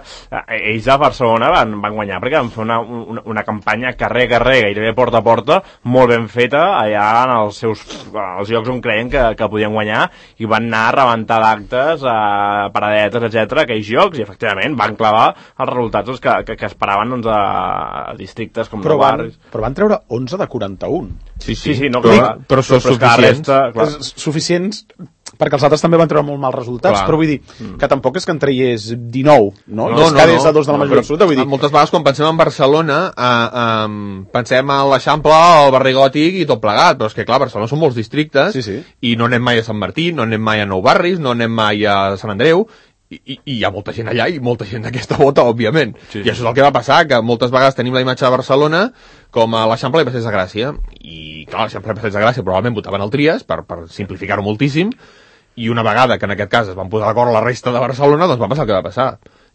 ells a Barcelona van, van guanyar perquè van fer una, una, una campanya carrer a carrer, gairebé porta a porta, molt ben feta allà en els seus els llocs on creien que, que podien guanyar, i van anar a rebentar d'actes, a paradetes, etcètera, aquells llocs, i efectivament van clavar els resultats que, que, que esperaven doncs, a, a districtes com però de barris. Van, però van treure onze de quaranta-un. Sí, sí, sí, no, però, clar, però, però són suficients. Resta, suficients perquè els altres també van treure molt mals resultats, clar. Però vull dir que tampoc és que en traiés dinou, no? No, no, no, no. A dos de la majoria no, absoluta, vull dir. Moltes vegades quan pensem en Barcelona eh, eh, pensem en l'Eixample, el barri gòtic i tot plegat, però és que clar, Barcelona són molts districtes, sí, sí. I no anem mai a Sant Martí, no anem mai a Nou Barris, no anem mai a Sant Andreu, i, i, i hi ha molta gent allà i molta gent d'aquesta vota, òbviament. Sí, sí. I això és el que va passar, que moltes vegades tenim la imatge de Barcelona com a l'Eixample i Passeig de Gràcia, i clar, l'Eixample i Passeig de Gràcia probablement votaven el Trias, per, per simplificar-ho moltíssim, i una vegada que en aquest cas es van posar d'acord la resta de Barcelona, doncs va passar el que va passar.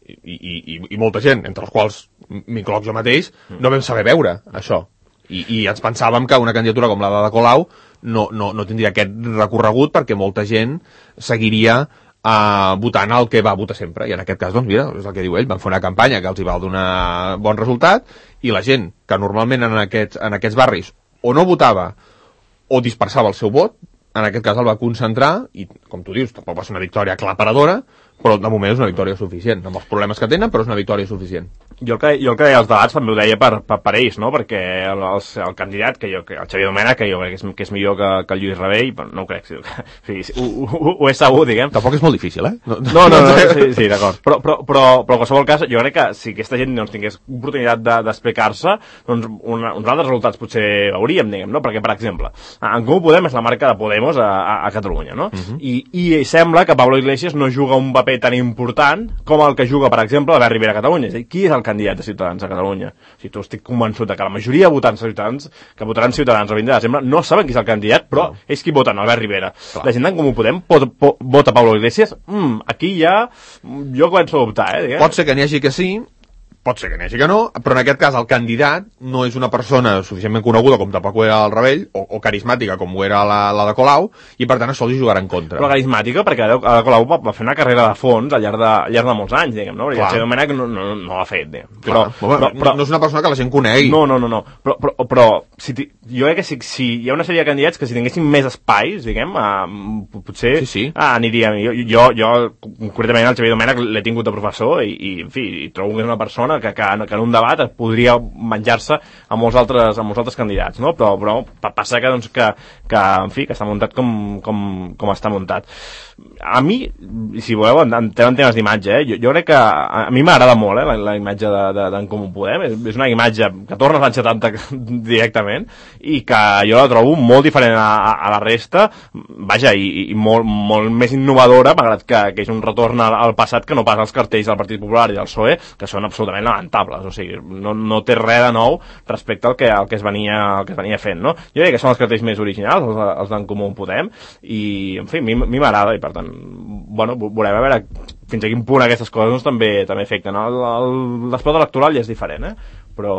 I, i, i, i molta gent, entre els quals m'incloc jo mateix, no vam saber veure això. I, i ens pensàvem que una candidatura com la de Colau no, no, no tindria aquest recorregut perquè molta gent seguiria uh, votant el que va votar sempre. I en aquest cas, doncs mira, és el que diu ell, van fer una campanya que els hi va donar bon resultat i la gent que normalment en aquests, en aquests barris o no votava o dispersava el seu vot, en aquest cas el va concentrar i, com tu dius, tampoc va ser una victòria aclaparadora, però de moment és una victòria suficient, amb els problemes que tenen, però és una victòria suficient. Jo el que, jo el que deia als debats també ho deia per, per, per ells, no? Perquè el, el, el candidat, que jo, que el Xavier Domènech, que jo crec que és, que és millor que, que el Lluís Rabell, però no ho crec, sí, sí, sí, ho, ho, ho és segur, diguem. Tampoc és molt difícil, eh? No, no, no, no sí, sí d'acord. Però, però, però, però en qualsevol cas, jo crec que si aquesta gent doncs, tingués oportunitat d'explicar-se, de, doncs una, uns altres resultats potser hauríem, diguem, no? Perquè, per exemple, en Comú Podem és la marca de Podemos a, a, a Catalunya, no? Uh-huh. I, I sembla que Pablo Iglesias no juga un paper tan important com el que juga, per exemple, Albert Rivera a Catalunya. És a dir, qui és el candidat de Ciutadans a Catalunya? O sigui, tu estic convençut que la majoria de votants de Ciutadans, que votaran Ciutadans el vint de desembre, no saben qui és el candidat, però no. És qui voten, Albert Rivera. Clar. La gent d'en Comú Podem pot, pot, vota Pablo Iglesias, mm, aquí ja jo començo a dubtar, eh? Diguem. Pot ser que n'hi hagi que sí, pot ser que n'hi hagi que no, però en aquest cas el candidat no és una persona suficientment coneguda com tampoc ho era el Rabell, o, o carismàtica com ho era la, la de Colau, i per tant això li jugarà en contra. Però carismàtica perquè la de Colau va, va fer una carrera de fons al llarg de, al llarg de molts anys, diguem, no? Perquè el Xavier Domènech no, no, no l'ha fet, diguem. Però, però, però, però, no és una persona que la gent conegui. No, no, no, no. Però, però, però si jo crec que si, si hi ha una sèrie de candidats que si tinguessin més espais, diguem, uh, potser sí, sí. Uh, aniria... Jo, jo, jo, concretament, el Xavier Domènech l'he tingut de professor i, i en fi, trobo que és una persona que, que, que en un debat es podria menjar-se a molts altres, a molts altres candidats, no? Però, però passa que, doncs, que, que, en fi, que està muntat com, com, com està muntat. A mi, si voleu, entrem en temes d'imatge, eh? jo, jo crec que a, a mi m'agrada molt eh, la, la imatge d'en de, de, Comú Podem, és, és una imatge que torna als anys setanta directament i que jo la trobo molt diferent a, a, a la resta, vaja, i, i molt, molt més innovadora, malgrat que, que és un retorn al, al passat que no pas als cartells del Partit Popular i del P S O E, que són absolutament lamentables, o sigui, no, no té res de nou respecte al que, al que, es, venia, al que es venia fent, no? Jo crec que són els cartells més originals, els, els d'en Comú Podem, i, en fi, a mi, a mi m'agrada, i per tant bueno, veurem a veure fins a quin punt aquestes coses doncs, també també afecten. L'esport electoral ja és diferent, eh? Però,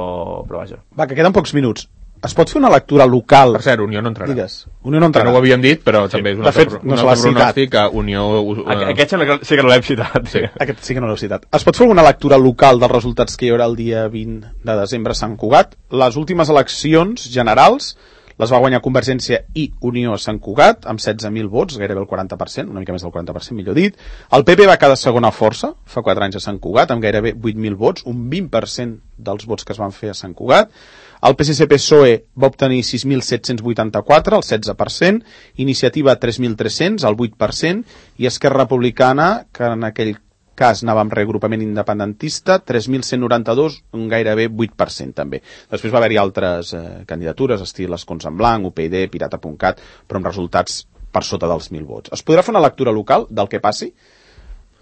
però vaja. Va, que queden pocs minuts. Es pot fer una lectura local? Per cert, Unió no entrarà. Digues. Unió no entrarà. Que no ho havíem dit, però sí. També és un altre, no un altre pronòstic que Unió... Uh, Aquest sí que no l'hem citat. Sí. Aquest sí que no l'hem citat. Es pot fer alguna lectura local dels resultats que hi haurà el dia vint de desembre a Sant Cugat? Les últimes eleccions generals les va guanyar Convergència i Unió a Sant Cugat, amb setze mil vots, gairebé el quaranta per cent, una mica més del quaranta per cent, millor dit. El P P va quedar segona força, fa quatre anys a Sant Cugat, amb gairebé vuit mil vots, un vint per cent dels vots que es van fer a Sant Cugat. El P S C P S O E va obtenir sis mil set-cents vuitanta-quatre, el setze per cent, Iniciativa tres mil tres-cents, el vuit per cent, i Esquerra Republicana, que en aquell cas anava amb reagrupament independentista, tres mil cent noranta-dos, un gairebé vuit per cent també. Després va haver-hi altres eh, candidatures, estil Escons en Blanc, U P I D, Pirata punt cat, però amb resultats per sota dels mil vots. Es podrà fer una lectura local del que passi?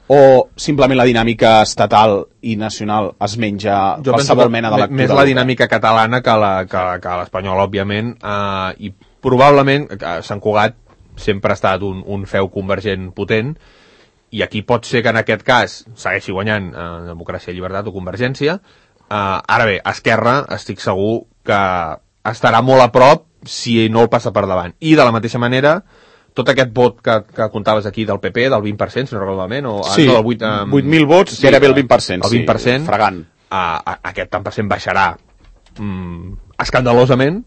O simplement la dinàmica estatal i nacional es menja jo qualsevol mena de lectura? Més la dinàmica catalana que l'espanyola, òbviament, eh, i probablement eh, Sant Cugat sempre ha estat un, un feu convergent potent, i aquí pot ser que en aquest cas segueixi guanyant eh, Democràcia i Llibertat o Convergència. Eh, ara bé, Esquerra estic segur que estarà molt a prop si no el passa per davant. I de la mateixa manera, tot aquest vot que, que comptaves aquí del P P, del vint per cent, si no recordo malament, o sí, no, del vuit, um, vuit mil vots, sí, gairebé el vint per cent, el vint per cent, sí, fregant. Uh, aquest tant per cent baixarà um, escandalosament.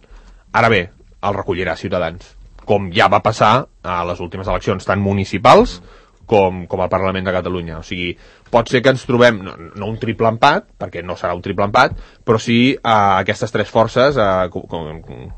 Ara bé, el recollirà Ciutadans, com ja va passar a les últimes eleccions, tant municipals com, com al Parlament de Catalunya. O sigui, pot ser que ens trobem, no, no un triple empat, perquè no serà un triple empat, però sí a uh, aquestes tres forces, uh, com, com, com,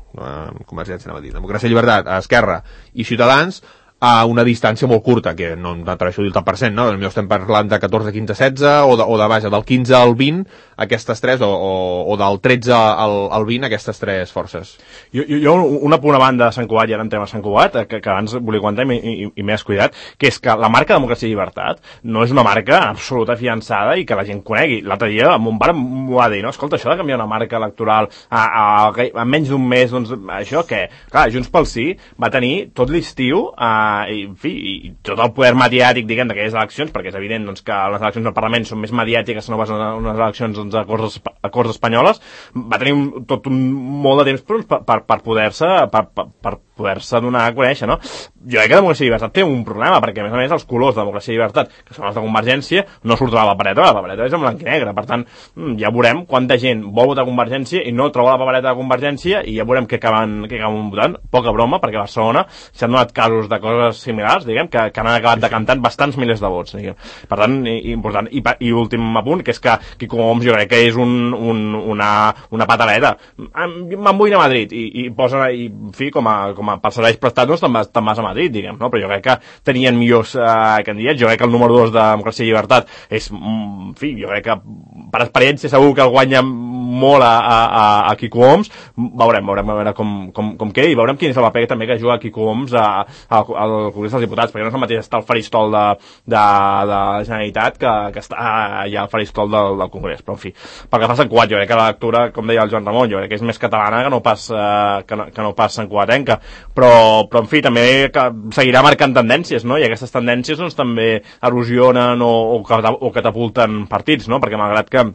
Convergència, anava a dir, Democràcia i Llibertat, Esquerra i Ciutadans, a una distància molt curta, que no m'atreveixo a dir el tant per cent, no? Potser estem parlant de catorze, quinze, setze, o de, o de vaja, del quinze al vint, aquestes tres, o, o, o del tretze al, al vint, aquestes tres forces. Jo, jo, jo una punt a banda de Sant Cugat, i ara entrem a Sant Cugat, que, que abans volia comentar i, i, i m'he descuidat, que és que la marca Democràcia i Llibertat no és una marca absoluta fiançada i que la gent conegui. L'altre dia mon pare m'ho va dir, no? Escolta, això de canviar una marca electoral a, a, a, a menys d'un mes, doncs això què? Clar, Junts pel Sí va tenir tot l'estiu a i, en fi, i tot el poder mediàtic, diguem, d'aquelles eleccions, perquè és evident doncs, que les eleccions al Parlament són més mediàtiques que no pas unes eleccions doncs, a, Corts, a Corts Espanyoles, va tenir un, tot un molt de temps per, per, per poder-se per, per, per poder-se donar a conèixer, no? Jo crec que Democràcia i Llibertat té un problema, perquè a més a més els colors de Democràcia i Llibertat, que són els de Convergència, no surten a la papereta, la papereta és en blanc i negre, per tant, ja veurem quanta gent vol votar Convergència i no troba la papereta de Convergència, i ja veurem què acaben, què acaben votant. Poca broma, perquè a Barcelona s'han donat casos de coses similars, diguem, que, que han acabat decantant bastants milers de vots, diguem. Per tant, i, important. I, i últim apunt, que és que Quico Homs jo crec que és un, un, una, una pataleta. Me'n vull anar a Madrid, i, i posa, i, en fi, com a, com a per serveis prestats, te'n vas, vas a Madrid, diguem, no? Però jo crec que tenien millors eh, candidats. Jo crec que el número dos de Democràcia i Llibertat és, en fi, jo crec que per experiència segur que el guanya molt a, a, a Quico Homs. Veurem, veurem a veure com, com, com queda, i veurem quin és el paper també que juga Quico Homs a, a, al Congrés dels Diputats, perquè no és el mateix estar al faristol de, de, de la Generalitat que, que està allà al faristol del, del Congrés. Però, en fi, pel que fa a Sant Cugat, jo crec que la lectura, com deia el Joan Ramon, jo crec que és més catalana que no pas, eh, que no, que no pas santcugatenca. Però, però, en fi, també que seguirà marcant tendències, no? I aquestes tendències, doncs, també erosionen o, o, o catapulten partits, no? Perquè malgrat que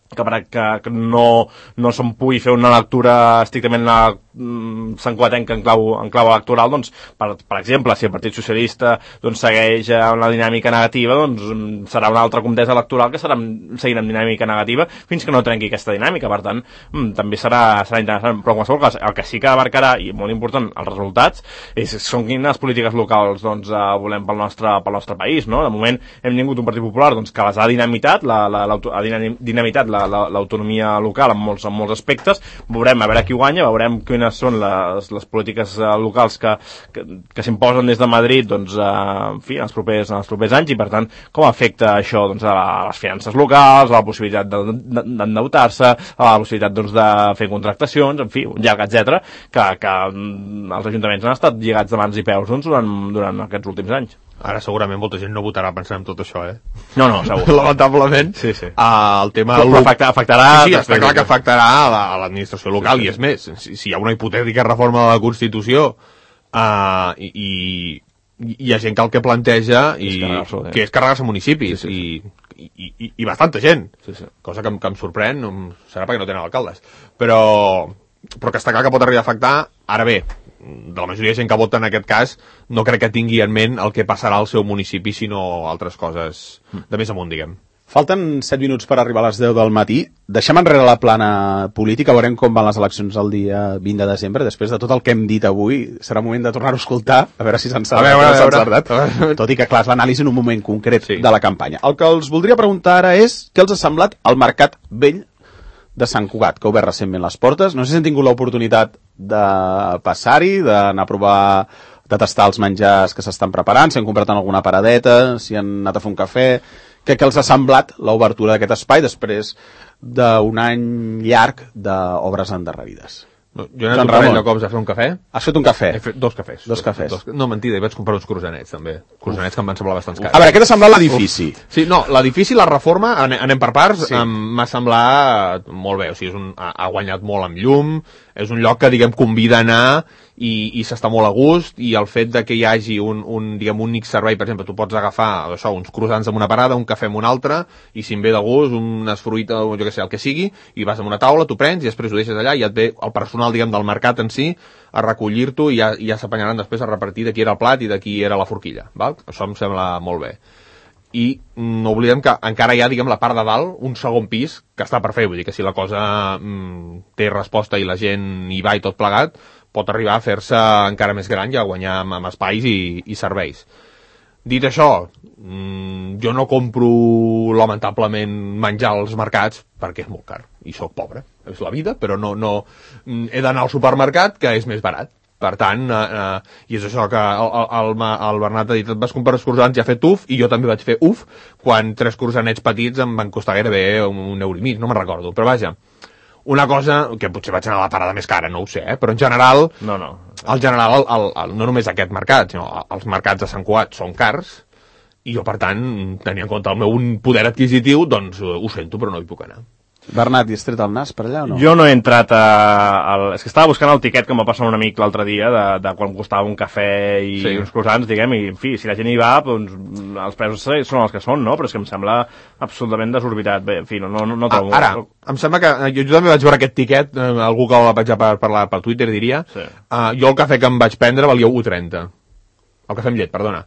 que, que, que no, no se'n pugui fer una lectura estrictament a mm, santcugatenca en clau, en clau electoral, doncs, per, per exemple, si el Partit Socialista doncs, segueix una dinàmica negativa, doncs serà una altra contesa electoral que serà seguint amb dinàmica negativa fins que no trenqui aquesta dinàmica. Per tant, mm, també serà, serà interessant. Però en qualsevol cas, el que sí que marcarà, i molt important, els resultats, és, són quines polítiques locals doncs, eh, volem pel nostre, pel nostre país, no? De moment hem tingut un Partit Popular doncs, que les ha dinamitat, la, la, la, ha dinamitat la l'autonomia local en molts, en molts aspectes. Veurem a veure qui guanya, veurem quina quines són les, les polítiques uh, locals que, que, que s'imposen des de Madrid, doncs, uh, en fi, en els, propers, en els propers anys, i per tant, com afecta això doncs, a, la, a les finances locals, a la possibilitat d'endeutar-se, a la possibilitat doncs, de fer contractacions, en fi, un llarg, etcètera, que, que els ajuntaments han estat lligats de mans i peus doncs, durant, durant aquests últims anys. Ara segurament molta gent no votarà pensant en tot això, eh? No, no, segur. Lamentablement, sí, sí. Uh, el tema... Però afecta, afectarà... Sí, sí, està clar que afectarà a l'administració local, sí, sí. I és més, si, si hi ha una hipotètica reforma de la Constitució uh, i, i hi ha gent que el que planteja i, és que és carregar-se municipis, sí, sí, sí. I, i, i, i bastanta gent, sí, sí. Cosa que, que em sorprèn, serà perquè no tenen alcaldes, però, però que està clar que pot arribar a afectar. Ara bé, de la majoria de gent que vota en aquest cas no crec que tingui en ment el que passarà al seu municipi, sinó altres coses de més amunt, diguem. Falten set minuts per arribar a les deu del matí. Deixem enrere la plana política, veurem com van les eleccions el dia vint de desembre. Després de tot el que hem dit avui, serà moment de tornar-ho a escoltar, a veure si s'han encertat. Tot i que, clar, és l'anàlisi en un moment concret, sí, de la campanya. El que els voldria preguntar ara és què els ha semblat el Mercat Vell de Sant Cugat, que ha obert recentment les portes. No sé si han tingut l'oportunitat de passar-hi, d'anar a provar, de tastar els menjars que s'estan preparant, si han comprat en alguna paradeta, si han anat a fer un cafè. Què, què els ha semblat l'obertura d'aquest espai després d'un any llarg d'obres endarrerides? No, jo he anat un parell de cops a fer un cafè. Has fet un cafè? He fet dos cafès. Dos cafès. Dos, no, mentida, hi vaig comprar uns croissanets, també. Croissanets que em van semblar bastant cars. A veure, què t'ha semblat l'edifici? Sí, no, l'edifici, la reforma, anem per parts, sí, m'ha semblat molt bé. O sigui, és un, ha, ha guanyat molt amb llum, és un lloc que, diguem, convida a anar i, i s'està molt a gust, i el fet de que hi hagi un, un, diguem, un únic servei, per exemple, tu pots agafar això, uns croissants amb una parada, un cafè amb una altra, i si em ve de gust, unes fruites, o jo què sé, el que sigui, i vas a una taula, tu prens, i després ho deixes allà, i et ve el personal, diguem, del mercat en si, a recollir-t'ho, i ja, ja s'apanyaran després a repartir de qui era el plat i de qui era la forquilla, val? Això em sembla molt bé. I no oblidem que encara hi ha, diguem, la part de dalt, un segon pis, que està per fer, vull dir que si la cosa mm, té resposta i la gent hi va i tot plegat, pot arribar a fer-se encara més gran i a guanyar amb, amb espais i, i serveis. Dit això, mmm, jo no compro lamentablement menjar als mercats perquè és molt car i sóc pobre, és la vida, però no, no he d'anar al supermercat que és més barat. Per tant, eh, eh, i és això que el, el, el Bernat ha dit, et vas comprar els croissants i ha fet uf, i jo també vaig fer uf, quan tres croissanets petits em van costar gairebé un, un euro i mig, no me'n recordo, però vaja, una cosa que potser vaig anar a la parada més cara, no ho sé, eh? Però en general, no, no. En general el, el, el, no només aquest mercat, sinó els mercats de Sant Cugat són cars, i jo, per tant, tenint en compte el meu poder adquisitiu, doncs ho sento, però no hi puc anar. Bernat, hi has tret el nas per allà o no? Jo no he entrat a... Al... És que estava buscant el tiquet que em va passar un amic l'altre dia de, de quan costava un cafè i sí, uns croissants, diguem, i en fi, si la gent hi va, doncs els preus són els que són, no? Però és que em sembla absolutament desorbitat. Bé, en fi, no, no, no trobo... Ah, ara, em sembla que... Jo, jo també vaig veure aquest tiquet, eh, algú que el vaig per parlar per Twitter, diria. Sí. Uh, jo el cafè que em vaig prendre valia u trenta. El cafè amb llet, perdona.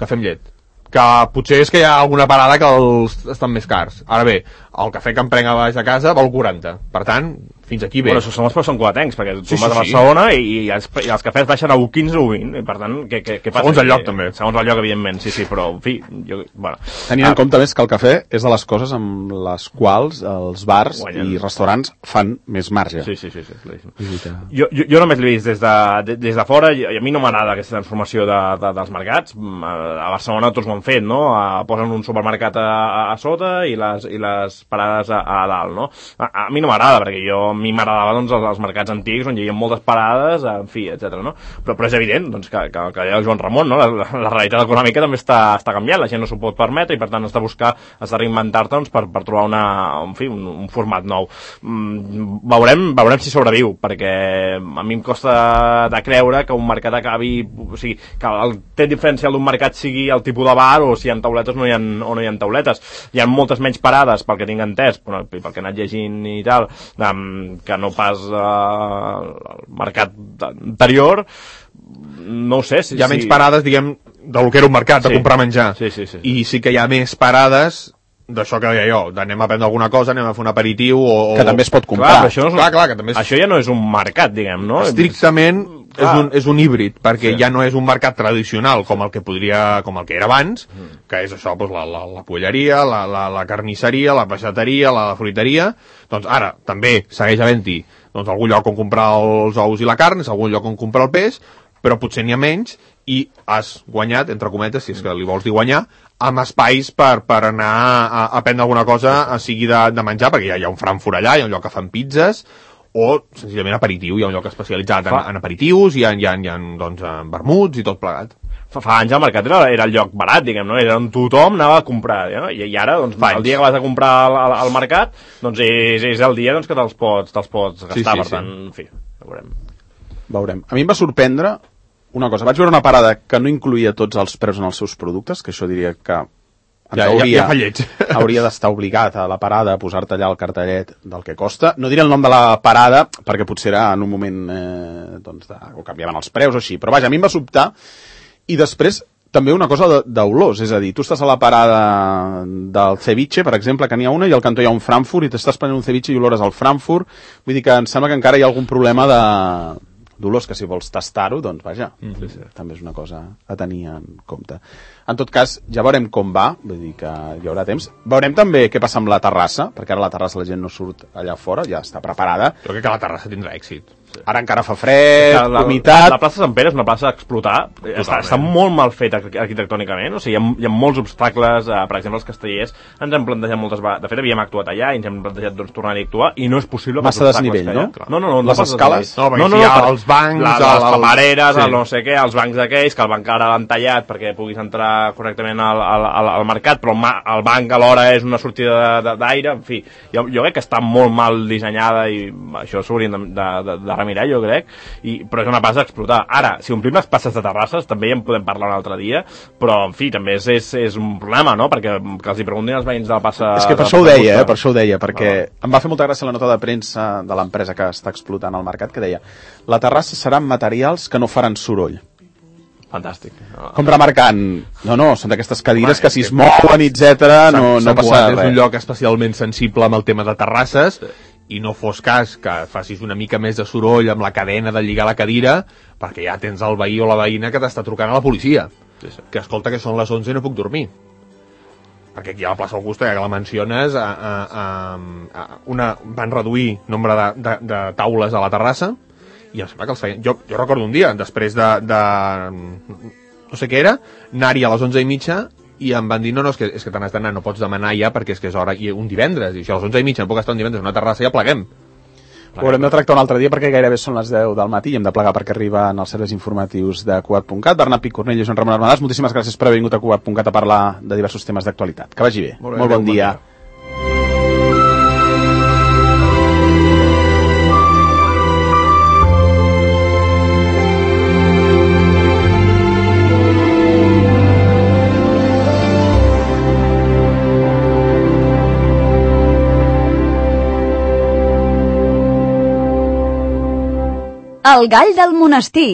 Cafè amb llet. Que potser és que hi ha alguna parada que els estan més cars. Ara bé, el cafè que em prenc a baix de casa val quaranta. Per tant, fins aquí bé. Bueno, això són els preus cuatencs, perquè tu sí, vas sí, a Barcelona sí. i, i, els, i els cafès baixen a u quinze o u vint, i per tant, què, què, què passa? Segons el lloc, I, també. Segons el lloc, evidentment, sí, sí, però, en fi, jo, bueno... Tenint ah, en compte més que el cafè és de les coses amb les quals els bars guanyen. I restaurants fan més marge. Sí, sí, sí. sí, sí. Jo, jo, jo només l'he vist des de, de, des de fora, i a mi no m'agrada aquesta transformació de, de, dels mercats. A Barcelona tots ho han fet, no? A, posen un supermercat a, a, a sota i les, i les parades a, a dalt, no? A, a mi no m'agrada, perquè jo, a mi m'agradava, doncs, els, els mercats antics on hi havia moltes parades, en fi, etcètera, no? Però, però és evident, doncs, que, que, que deia el Joan Ramon, no? La, la, la realitat econòmica també està, està canviant, la gent no s'ho pot permetre i, per tant, has de buscar, has de reinventar-te, doncs, per, per trobar una, en fi, un, un format nou. Mm, veurem, veurem si sobreviu, perquè a mi em costa de creure que un mercat acabi, o sigui, que el tret diferencial d'un mercat sigui el tipus de bar o si hi ha tauletes o no hi ha, o no hi ha tauletes. Hi ha moltes menys parades, pel que tinc entès, però, pel que he anat llegint i tal, que no pas eh, al mercat anterior. No ho sé si, hi ha menys si... parades, diguem, del que era un mercat, sí. De comprar menjar, sí, sí, sí. I sí que hi ha més parades d'això que deia jo, d'anem a prendre alguna cosa, anem a fer un aperitiu o... que també es pot comprar. Clar, això, no és un... clar, clar, que també és... això ja no és un mercat, diguem, no? Estrictament és un, és un híbrid, perquè sí. Ja no és un mercat tradicional com el que podria, com el que era abans, mm. Que és això, doncs, la, la, la polleria, la, la, la carnisseria, la peixateria, la fruiteria. Doncs ara també segueix havent-hi doncs algun lloc on comprar els ous i la carn, és algun lloc on comprar el peix, però potser n'hi ha menys i has guanyat, entre cometes, si és que li vols dir guanyar, amb espais per, per anar a, a prendre alguna cosa, a sigui de, de menjar, perquè hi ha, hi ha un Frankfurt allà, hi ha un lloc que fan pizzas, o senzillament aperitiu, hi ha un lloc especialitzat en, en aperitius, hi ha, hi ha, hi ha doncs, vermuts i tot plegat. Fa, fa anys el mercat era, era el lloc barat, diguem, no? Era on tothom anava a comprar, no? I, i ara, doncs, el dia que vas a comprar al, al, al mercat, doncs és, és el dia doncs, que te'ls pots, te'ls pots gastar, sí, sí, per tant, sí. En fi, veurem. Veurem. A mi em va sorprendre una cosa. Vaig veure una parada que no incluïa tots els preus en els seus productes, que això diria que ja, hauria, ja, ja hauria d'estar obligat a la parada a posar-te allà el cartellet del que costa. No diré el nom de la parada, perquè potser era en un moment eh, doncs de, o canviaven els preus o així, però vaja, a mi em va sobtar. I després també una cosa d'olors, és a dir, tu estàs a la parada del ceviche, per exemple, que n'hi ha una, i al cantó hi ha un Frankfurt, i t'estàs prenent un ceviche i olores al Frankfurt, vull dir que em sembla que encara hi ha algun problema de d'olors, que si vols tastar-ho, doncs vaja, mm, sí, sí. També és una cosa a tenir en compte. En tot cas, ja veurem com va, vull dir que hi haurà temps. Veurem també què passa amb la terrassa, perquè ara la terrassa la gent no surt allà fora, ja està preparada. Jo crec que la terrassa tindrà èxit. Sí. Ara encara fa fred, la, humitat... La, la plaça Sant Pere és una plaça a explotar, està, està molt mal feta arquitectònicament, o sigui, hi ha, hi ha molts obstacles, eh, per exemple, els castellers ens hem plantejat moltes vegades, de fet havíem actuat allà i ens hem plantejat doncs, tornar-hi a actuar, i no és possible... Massa desnivell, no? No, no, no. Les no escales? No, perquè no, no, no, hi ha els bancs... La, les camareres, sí. El no sé què, els bancs aquells, que el banc ara l'han tallat perquè puguis entrar correctament al, al, al, al mercat, però el, ma, el banc alhora és una sortida d'aire, en fi, jo, jo crec que està molt mal dissenyada i això s'haurien de, de, de, de remirar, jo crec, i, però és una plaça a explotar. Ara, si omplim les places de terrasses, també ja en podem parlar un altre dia, però, en fi, també és, és, és un problema, no?, perquè que els hi preguntin als veïns de la plaça... És que per això ho deia, eh? per això ho deia, perquè ah. em va fer molta gràcia la nota de premsa de l'empresa que està explotant el mercat, que deia, la terrassa serà amb materials que no faran soroll. Fantàstic. No, com remarcant, no, no, són d'aquestes cadires que si es mouen, etcètera, no, no passa res. És un lloc especialment sensible amb el tema de terrasses, i no fos cas que facis una mica més de soroll amb la cadena de lligar la cadira, perquè ja tens el veí o la veïna que t'està trucant a la policia. Sí, sí. Que escolta que són les onze i no puc dormir. Perquè aquí a la plaça Augusta, ja que la menciones, a, a, a, a una, van reduir nombre de, de, de taules a la terrassa, i em sembla que els feien... Jo, jo recordo un dia, després de, de... no sé què era, anar-hi a les onze i mitja, i em van dir, no, no, és que, és que te n'has d'anar, no pots demanar ja perquè és que és hora, i un divendres, i si a les onze i mitja no puc estar un divendres en una terrassa, ja pleguem. Ho haurem de tractar un altre dia perquè gairebé són les deu del matí i hem de plegar perquè arriben els serveis informatius de Cugat punt cat. Bernat Picornell i Joan Ramon Armadàs, moltíssimes gràcies per haver vingut a Cugat punt cat a parlar de diversos temes d'actualitat. Que vagi bé. Molt, bé, Molt bon, bon dia. dia. El gall del monestir.